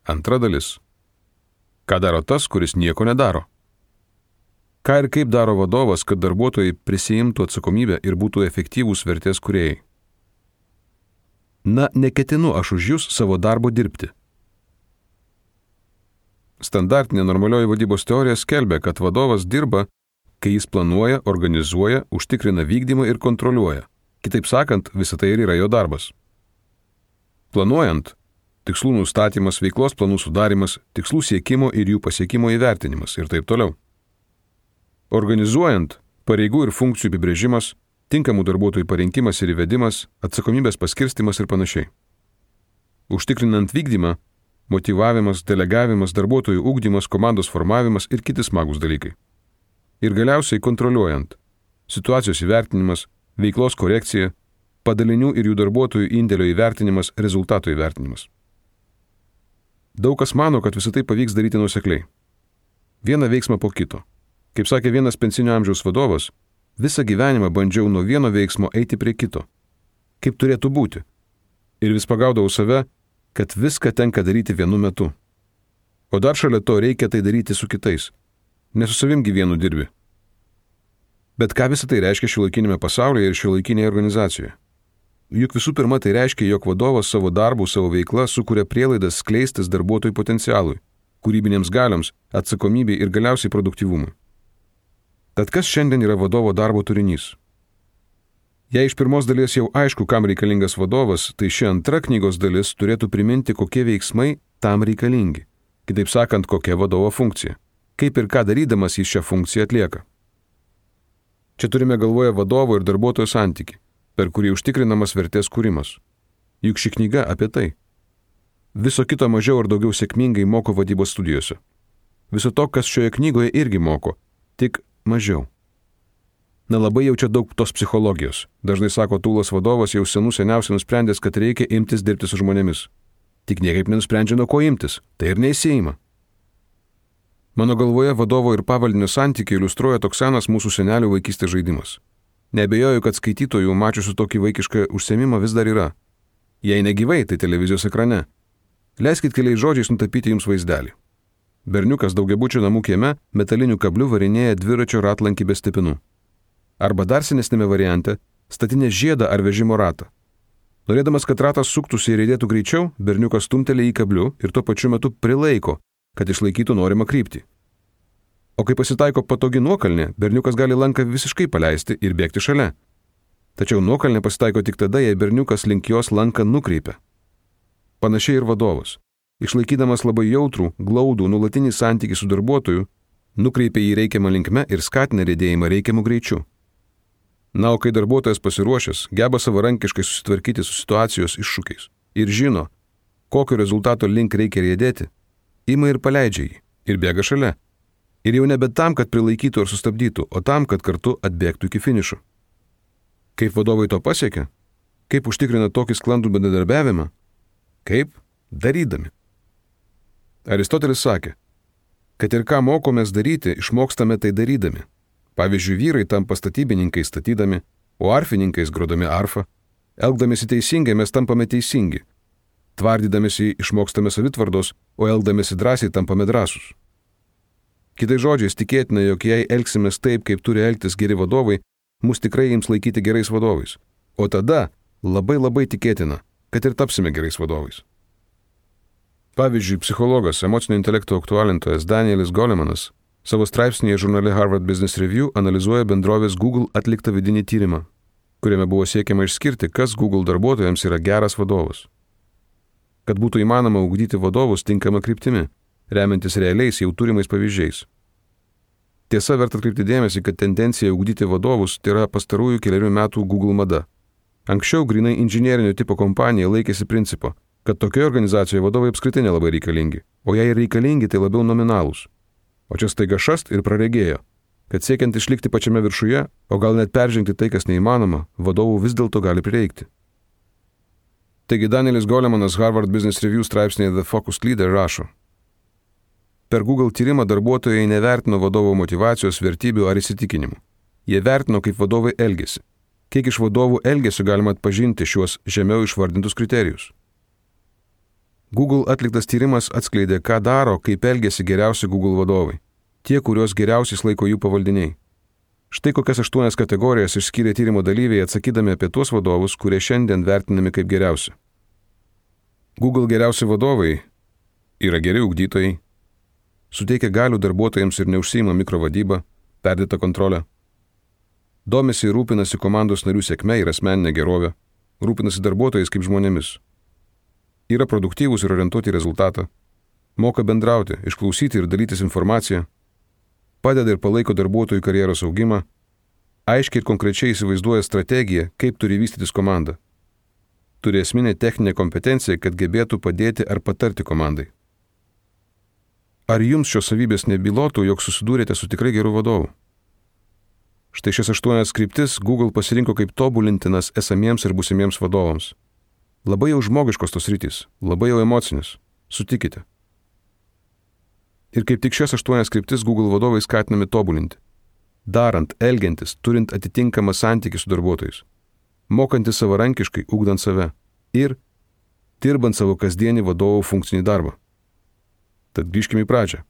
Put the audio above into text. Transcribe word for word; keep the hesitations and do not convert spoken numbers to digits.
Antra dalis. Ką daro tas, kuris nieko nedaro? Ką ir kaip daro vadovas, kad darbuotojai prisiimtų atsakomybę ir būtų efektyvūs vertės kūrėjai? Na, neketinu aš už jūs savo darbo dirbti. Standartinė normalioji vadybos teorija skelbia, kad vadovas dirba, kai jis planuoja, organizuoja, užtikrina vykdymą ir kontroliuoja. Kitaip sakant, visa tai ir yra jo darbas. Planuojant, tikslų nustatymas, veiklos planų sudarimas, tikslų siekimo ir jų pasiekimo įvertinimas ir taip toliau. Organizuojant, pareigų ir funkcijų apibrėžimas, tinkamų darbuotojų parinkimas ir įvedimas, atsakomybės paskirstimas ir panašiai. Užtikrinant vykdymą, motyvavimas, delegavimas, darbuotojų ugdymas, komandos formavimas ir kiti smagūs dalykai. Ir galiausiai kontroliuojant, situacijos įvertinimas, veiklos korekcija, padalinių ir jų darbuotojų indėlio įvertinimas, rezultato įvertinimas. Daug kas mano, kad visą tai pavyks daryti nuosekliai. Vieną veiksmą po kito. Kaip sakė vienas pensinio amžiaus vadovas, visą gyvenimą bandžiau nuo vieno veiksmo eiti prie kito. Kaip turėtų būti. Ir vis pagaudavau save, kad viską tenka daryti vienu metu. O dar šalia to reikia tai daryti su kitais. Ne su savim gyvienu dirbi. Bet ką visą tai reiškia šiuolaikinėme pasaulyje ir šiuolaikinėje organizacijoje? Juk visų pirma tai reiškia, jog vadovas savo darbų, savo veiklą sukuria prielaidas skleistis darbuotojų potencialui, kūrybinėms galiams, atsakomybei ir galiausiai produktyvumui. Tad kas šiandien yra vadovo darbo turinys? Jei iš pirmos dalies jau aišku, kam reikalingas vadovas, tai ši antra knygos dalis turėtų priminti, kokie veiksmai tam reikalingi. Kitaip sakant, kokia vadovo funkcija. Kaip ir ką darydamas jis šią funkciją atlieka. Čia turime galvoje vadovo ir darbuotojo santykį, per kurį užtikrinamas vertės kūrimas. Juk ši knyga apie tai. Viso kito mažiau ar daugiau sėkmingai moko vadybos studijose. Viso to, kas šioje knygoje irgi moko, tik mažiau. Na labai jau čia daug tos psichologijos. Dažnai sako tūlas vadovas jau senų seniausiai nusprendęs, kad reikia imtis dirbti su žmonėmis. Tik niekaip nenusprendžia, nuo ko imtis. Tai ir neįsiima. Mano galvoje vadovo ir pavaldinio santykiai iliustruoja toks senas mūsų senelių vaikystės žaidimas. Neabejoju, kad skaitytojų mačiusių tokį vaikišką užsiėmimą vis dar yra. Jei negyvai, tai televizijos ekrane. Leiskit keliais žodžiais nutapyti jums vaizdelį. Berniukas daugiabučio namų kieme metaliniu kabliu varinėja dviračio ratlankį be stepinų. Arba dar senesnėme variante statinė žiedą ar vežimo ratą. Norėdamas, kad ratas suktųsi ir judėtų greičiau, berniukas stumteli į kabliu ir tuo pačiu metu prilaiko, kad išlaikytų norimą kryptį. O kai pasitaiko patogi nuokalnė, berniukas gali lanką visiškai paleisti ir bėgti šalia. Tačiau nuokalnė pasitaiko tik tada, jei berniukas link jos lanką nukreipia. Panašiai ir vadovas. Išlaikydamas labai jautrų, glaudų, nuolatinį santykį su darbuotoju, nukreipia jį reikiamą linkme ir skatina riedėjimą reikiamų greičių. Na, o kai darbuotojas pasiruošęs, geba savarankiškai susitvarkyti su situacijos iššūkiais ir žino, kokio rezultato link reikia riedėti, ima ir paleidžia jį ir bėga šalia. Ir jau nebe tam, kad prilaikytų ar sustabdytų, o tam, kad kartu atbėgtų iki finišo. Kaip vadovai to pasiekia? Kaip užtikrina tokį sklandų bendradarbiavimą? Kaip? Darydami. Aristotelis sakė, kad ir ką mokomės daryti, išmokstame tai darydami. Pavyzdžiui, vyrai tampa statybininkais statydami, o arfininkais grodami arfą. Elgdamėsi teisingai mes tampame teisingi. Tvardydamėsi išmokstame savitvardos, o elgdamėsi drąsiai tampame drąsus. Kitais žodžiais tikėtina, jog jei elgsimės taip, kaip turi elgtis geri vadovai, mus tikrai ims laikyti gerais vadovais. O tada labai labai tikėtina, kad ir tapsime gerais vadovais. Pavyzdžiui, psichologas, emocinio intelekto aktualintojas Danielis Golemanas savo straipsnėje žurnale Harvard Business Review analizuoja bendrovės Google atliktą vidinį tyrimą, kuriame buvo siekiama išskirti, kas Google darbuotojams yra geras vadovas. Kad būtų įmanoma ugdyti vadovus tinkamą kryptimi, remiantis realiais jau turimais pavyzdžiais. Tiesa, verta atkreipti dėmesį, kad tendencija ugdyti vadovus tai yra pastarųjų keliarių metų Google mada. Anksčiau grinai inžinierinio tipo kompanija laikėsi principo, kad tokioje organizacijoje vadovai apskritai nelabai reikalingi, o jei reikalingi, tai labiau nominalūs. O čia staiga šast ir praregėjo, kad siekiant išlikti pačiame viršuje, o gal net peržengti tai, kas neįmanoma, vadovų vis dėlto gali prireikti. Taigi Danielis Golemanas Harvard Business Review straipsnėje The Focused Leader rašo: Per Google tyrimą darbuotojai nevertino vadovo motyvacijos, vertybių ar įsitikinimų. Jie vertino, kaip vadovai elgesi. Kiek iš vadovų elgesio galima atpažinti šiuos žemiau išvardintus kriterijus. Google atliktas tyrimas atskleidė, ką daro, kaip elgėsi geriausi Google vadovai. Tie, kuriuos geriausiais laiko jų pavaldiniai. Štai kokias aštuonias kategorijas išskyrė tyrimo dalyviai atsakydami apie tuos vadovus, kurie šiandien vertinami kaip geriausi. Google geriausi vadovai yra geri ugdytojai, suteikia galių darbuotojams ir neužsiima mikrovadybą, perdėtą kontrolę, domisi ir rūpinasi komandos narių sėkme ir asmeninė gerovė, rūpinasi darbuotojais kaip žmonėmis, yra produktyvūs ir orientuoti į rezultatą, moka bendrauti, išklausyti ir dalytis informaciją, padeda ir palaiko darbuotojų karjeros augimą, aiškiai ir konkrečiai įsivaizduoja strategiją, kaip turi vystytis komanda. Turi esminę techninę kompetenciją, kad gebėtų padėti ar patarti komandai. Ar jums šios savybės nebylotų, jog susidūrėte su tikrai geru vadovu? Štai šias aštuonias kryptis Google pasirinko kaip tobulintinas esamiems ir būsimiems vadovams. Labai jau žmogiškos tos rytis, labai jau emocinis, sutikite. Ir kaip tik šias aštuonias kryptis Google vadovai skatinami tobulinti. Darant, elgiantis, turint atitinkamą santykį su darbuotojais. Mokantis savarankiškai, ugdant save. Ir dirbant savo kasdienį vadovų funkcinį darbą. Tad grįžkime į pradžią.